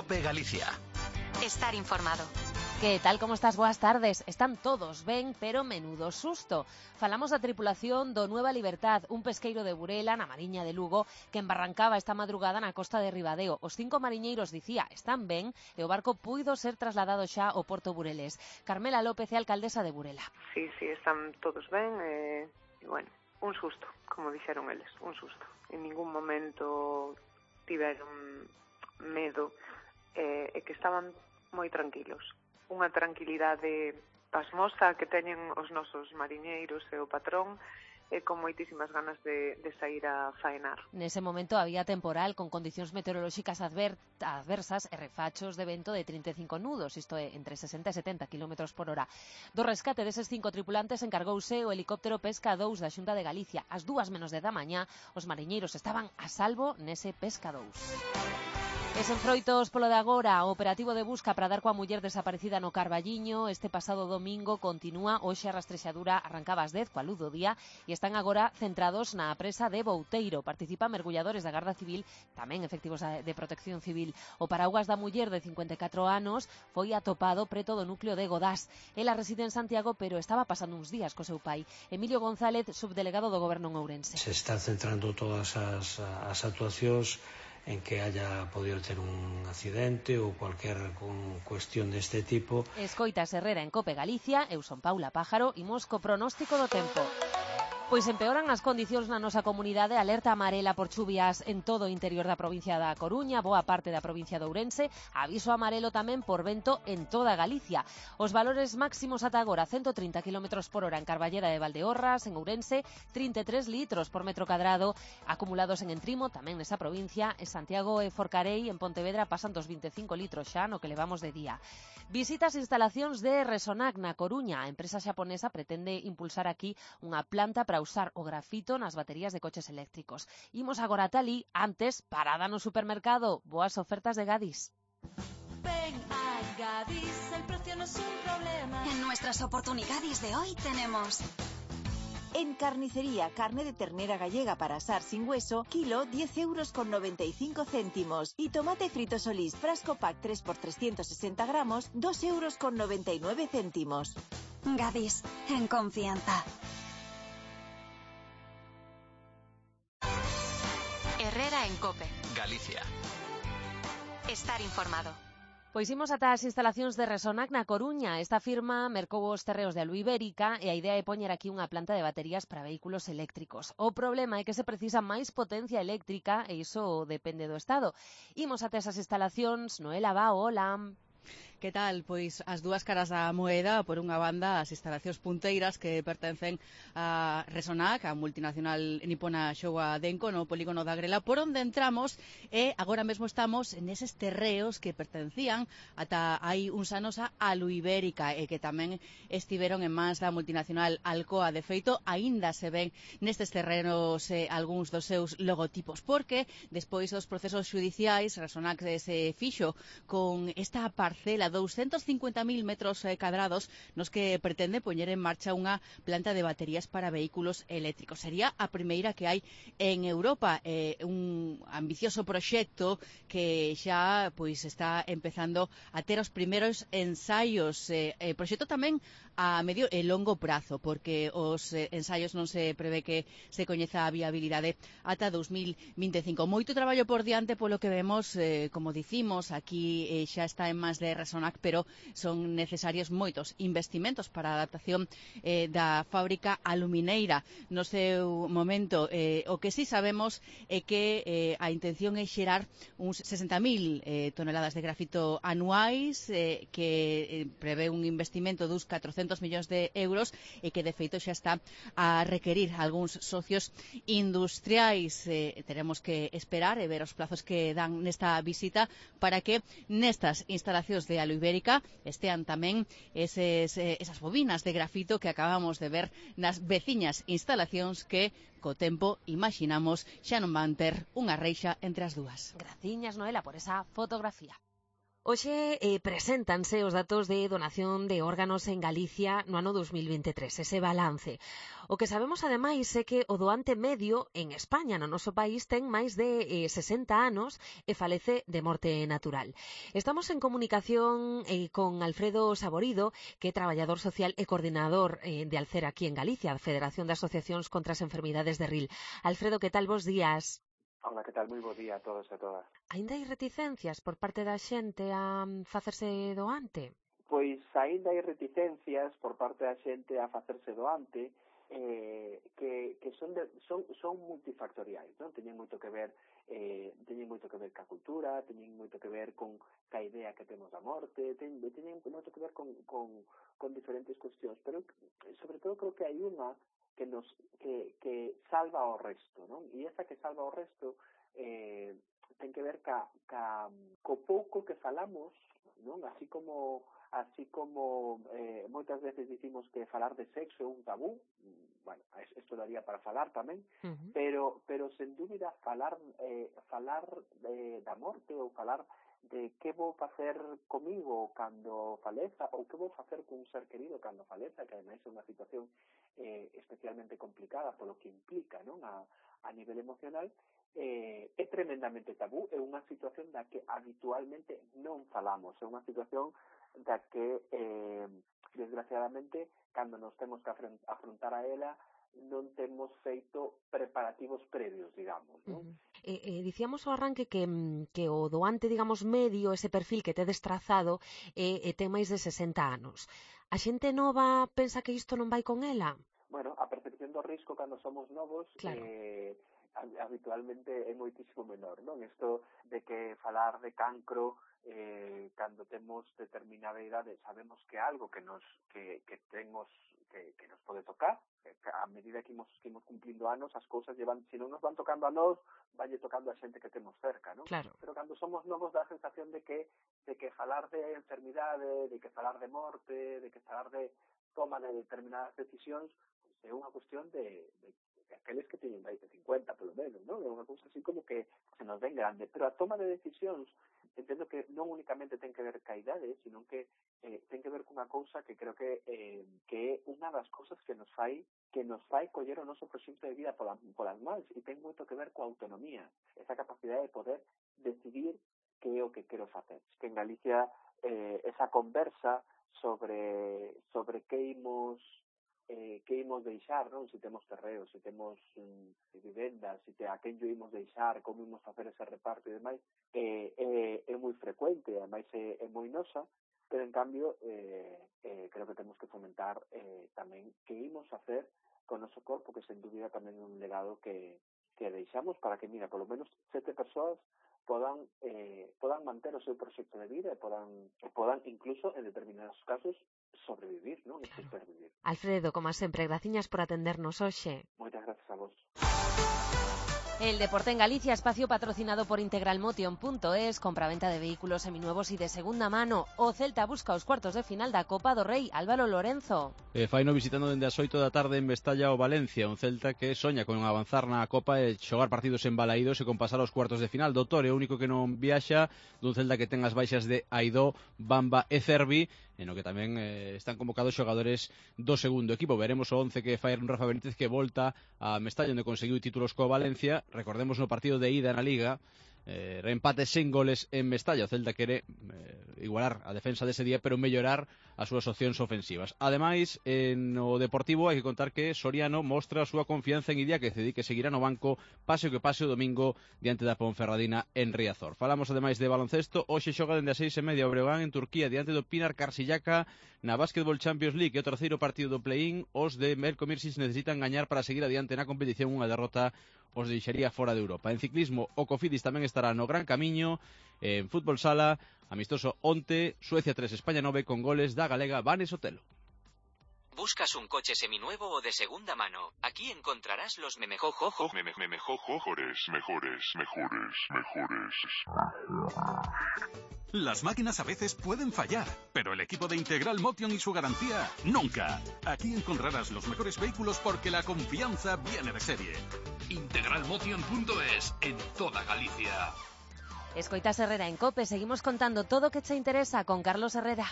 COPE Galicia. Estar informado. Que tal, como estás? Boas tardes. Están todos ben, pero menudo susto. Falamos da tripulación do Nueva Libertad, un pesqueiro de Burela, na Mariña de Lugo, que embarrancaba esta madrugada na costa de Ribadeo. Os 5 mariñeiros, dicía, están ben e o barco puido ser trasladado xa ao Porto Burelés. Carmela López é alcaldesa de Burela. Sí, están todos ben e, bueno, un susto, como dixeron eles, un susto. En ningún momento tiveron medo e que estaban moi tranquilos. Unha tranquilidade pasmosa que teñen os nosos mariñeiros e o patrón e con moitísimas ganas de sair a faenar. Nese momento había temporal con condicións meteorolóxicas adversas e refachos de vento de 35 nudos, isto é, entre 60 e 70 km por hora. Do rescate deses 5 tripulantes encargouse o helicóptero Pesca 2 da Xunta de Galicia. Ás 2:00 da mañá, os mariñeiros estaban a salvo nese Pesca 2. E sen froitos polo de agora, o operativo de busca para dar coa muller desaparecida no Carballiño este pasado domingo continúa. Hoxe a rastrexadura arrancaba ás 10 coa luz do día e están agora centrados na presa de Bouteiro. Participan mergulladores da Garda Civil, tamén efectivos de Protección Civil. O paraugas da muller de 54 anos foi atopado preto do núcleo de Godás. Ela reside en Santiago, pero estaba pasando uns días co seu pai. Emilio González, subdelegado do Goberno en Ourense. Se están centrando todas as actuacións en que haya podido ter un accidente ou cualquier cuestión deste tipo. Escoitas Herrera en COPE Galicia, eu son Paula Pájaro, imos co pronóstico do tempo. Pois empeoran as condicións na nosa comunidade, alerta amarela por chuvias en todo o interior da provincia da Coruña, boa parte da provincia de Ourense, aviso amarelo tamén por vento en toda Galicia. Os valores máximos ata agora, 130 km por hora en Carballeda de Valdeorras, en Ourense, 33 litros por metro cadrado, acumulados en Entrimo, tamén nesa provincia, en Santiago e Forcarei, en Pontevedra, pasan dos 25 litros xa no que levamos de día. Visitas instalacións de Resonac na Coruña. A empresa xaponesa pretende impulsar aquí unha planta para usar o grafito nas baterías de coches eléctricos. Imos agora ata ali, antes, parada no supermercado. Boas ofertas de Gadis. Ven a Gadis, el precio no es un problema. En nuestras oportunidades de hoy tenemos... En carnicería, carne de ternera gallega para asar sin hueso, kilo 10,95 €. Y tomate frito Solís, frasco pack 3 por 360 gramos, 2,99 €. Gadis, en confianza. Herrera en COPE Galicia. Estar informado. Pois imos ata as instalacións de Resonac na Coruña. Esta firma mercou os terreos de Aluibérica e a idea é poñer aquí unha planta de baterías para vehículos eléctricos. O problema é que se precisa máis potencia eléctrica e iso depende do Estado. Imos ata esas instalacións. Noela Bao, hola. Que tal? Pois as dúas caras da moeda, por unha banda as instalacións punteiras que pertencen a Resonac, a multinacional nipona Showa Denko, no polígono da Grela, por onde entramos e agora mesmo estamos neses terreos que pertencían ata hai uns anos a Aluibérica e que tamén estiveron en mans da multinacional Alcoa. De feito, aínda se ven nestes terrenos algúns dos seus logotipos, porque despois dos procesos judiciais Resonac se fixo con esta parcela 250.000 metros cadrados nos que pretende poñer en marcha unha planta de baterías para vehículos eléctricos. Sería a primeira que hai en Europa, un ambicioso proxecto que xa pois está empezando a ter os primeiros ensaios, proxecto tamén a medio e longo prazo, porque os ensaios non se prevé que se coñeza a viabilidade ata 2025. Moito traballo por diante polo que vemos, como dicimos, aquí xa está en mans de Resonac, pero son necesarios moitos investimentos para a adaptación da fábrica alumineira no seu momento. O que sí sabemos é que a intención é xerar uns 60.000 toneladas de grafito anuais, que prevé un investimento dos 400 millóns de euros e que de feito xa está a requerir algúns socios industriais. Teremos que esperar e ver os plazos que dan nesta visita para que nestas instalacións de Aluibérica estean tamén esas bobinas de grafito que acabamos de ver nas veciñas instalacións que co tempo imaginamos xa non van ter unha reixa entre as dúas. Graciñas, Noela, por esa fotografía. Hoxe preséntanse os datos de donación de órganos en Galicia no ano 2023, ese balance. O que sabemos, ademais, é que o doante medio en España, no noso país, ten máis de 60 anos e falece de morte natural. Estamos en comunicación con Alfredo Saborido, que é traballador social e coordinador de Alcer aquí en Galicia, a Federación de Asociacións contra as Enfermidades de RIL. Alfredo, que tal? Bos días. Hola, que tal? Moi bo día a todos e a todas. Aínda hai reticencias por parte da xente a facerse doante? Pois aínda hai reticencias por parte da xente a facerse doante que son multifactoriais, non? Teñen moito que ver ca cultura, teñen moito que ver con ca idea que temos da morte, teñen moito que ver con diferentes cuestións, pero sobre todo creo que hai unha que salva o resto, non? E esa que salva o resto ten que ver co pouco que falamos, non? Así como moitas veces dicimos que falar de sexo é un tabú, bueno, isto daría para falar tamén, pero sen dúbida falar da morte ou falar de que vou facer comigo cando faleza ou que vou facer cun ser querido cando faleza, que ademais é unha situación especialmente complicada polo que implica, non? A nivel emocional, é tremendamente tabú, é unha situación da que habitualmente non falamos, é unha situación da que desgraciadamente cando nos temos que afrontar a ela non temos feito preparativos previos, digamos, non? Dicíamos ao arranque que o doante, digamos, medio, ese perfil que tedes trazado, ten máis de 60 anos. A xente nova pensa que isto non vai con ela? Bueno, a percepción do risco cando somos novos, claro, habitualmente é moitísimo menor, non? Isto de que falar de cancro cando temos determinada idade sabemos que algo que nos pode tocar, a medida que imos cumplindo anos, as cousas se non nos van tocando a nós, vanlle tocando a xente que temos cerca, non? Claro. Pero cando somos novos dá a sensación de que falar de enfermidade, de que falar de morte, de que falar de toma de determinadas decisións, é unha cuestión de aqueles que teñen máis de 50, polo menos, non? É unha cousa así como que se nos ven grande. Pero a toma de decisións, entendo que non únicamente ten que ver ca idade, sino que ten que ver cunha cousa que creo que é unha das cousas que nos fai coller o noso proxecto de vida polas mans, e ten moito que ver coa autonomía, esa capacidade de poder decidir que é o que quero facer. Que en Galicia esa conversa sobre que imos deixar, non? Se temos terreos, se temos vivendas, a quen yo imos deixar, como imos facer ese reparto e demais, é moi frecuente, ademais é moi nosa, pero en cambio creo que temos que fomentar tamén que imos facer con o noso corpo, que sen dúbida tamén é un legado que deixamos para que, mira, polo menos 7 persoas podan manter o seu proxecto de vida e podan incluso, en determinados casos, sobrevivir, non? E supervivir. Alfredo, como sempre, graciñas por atendernos hoxe. Moitas gracias a vos. El deporte en Galicia, espacio patrocinado por integralmotion.es, compraventa de vehículos seminuevos y de segunda mano. O Celta busca os cuartos de final da Copa do Rei. Álvaro Lorenzo. Faino visitando dende as 8 da tarde en Mestalla o Valencia, un Celta que soña con avanzar na Copa e xogar partidos embalaídos e con pasar aos cuartos de final. Doutor é o único que non viaxa, dun Celta que ten as baixas de Aidó, Bamba e Cervi, en o que tamén están convocados xogadores do segundo equipo. Veremos o 11 que fai un Rafa Benítez, que volta a Mestalla, onde conseguiu títulos coa Valencia. Recordemos no partido de ida na Liga, empate sen goles en Mestalla. O Celta quere igualar a defensa dese día, pero mellorar as súas opcións ofensivas. Ademais, no Deportivo hai que contar que Soriano mostra a súa confianza en Idia, que cedi que seguirá no banco pase o que pase o domingo diante da Ponferradina en Riazor. Falamos ademais de baloncesto. Hoxe xoga dende as 6:30 o Breogán en Turquía diante do Pinar Karsiyaka na Basketball Champions League, e o terceiro partido do play-in. Os de Melko Mirsic necesitan gañar para seguir adiante na competición. Unha derrota os deixaría fora de Europa. En ciclismo, o Cofidis tamén estará no Gran Camiño. En fútbol sala, amistoso onte, Suecia 3, España 9, con goles da galega Vane Sotelo. ¿Buscas un coche seminuevo o de segunda mano? Aquí encontrarás los mejores. Las máquinas a veces pueden fallar, pero el equipo de Integral Motion y su garantía, nunca. Aquí encontrarás los mejores vehículos porque la confianza viene de serie. Integralmotion.es, en toda Galicia. Escoitas Herrera en COPE, seguimos contando todo o que che interesa con Carlos Herrera.